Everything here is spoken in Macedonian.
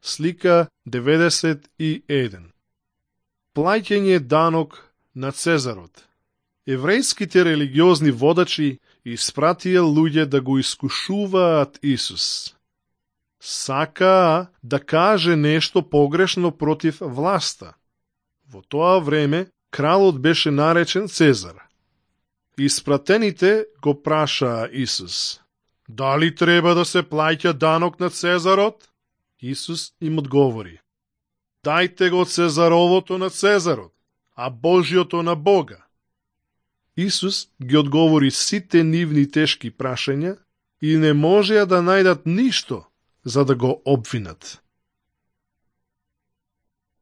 Слика 91. Плаќање данок на Цезарот. Еврејските религиозни водачи испратија луѓе да го искушуваат Исус. Сакаа да каже нешто погрешно против власта. Во тоа време кралот беше наречен Цезар. Испратените го прашаа Исус: дали треба да се плаќа данок на Цезарот? Исус им одговори: дајте го Цезаровото на Цезарот, а Божјото на Бога. Исус ги одговори сите нивни тешки прашања и не можеа да најдат ништо за да го обвинат.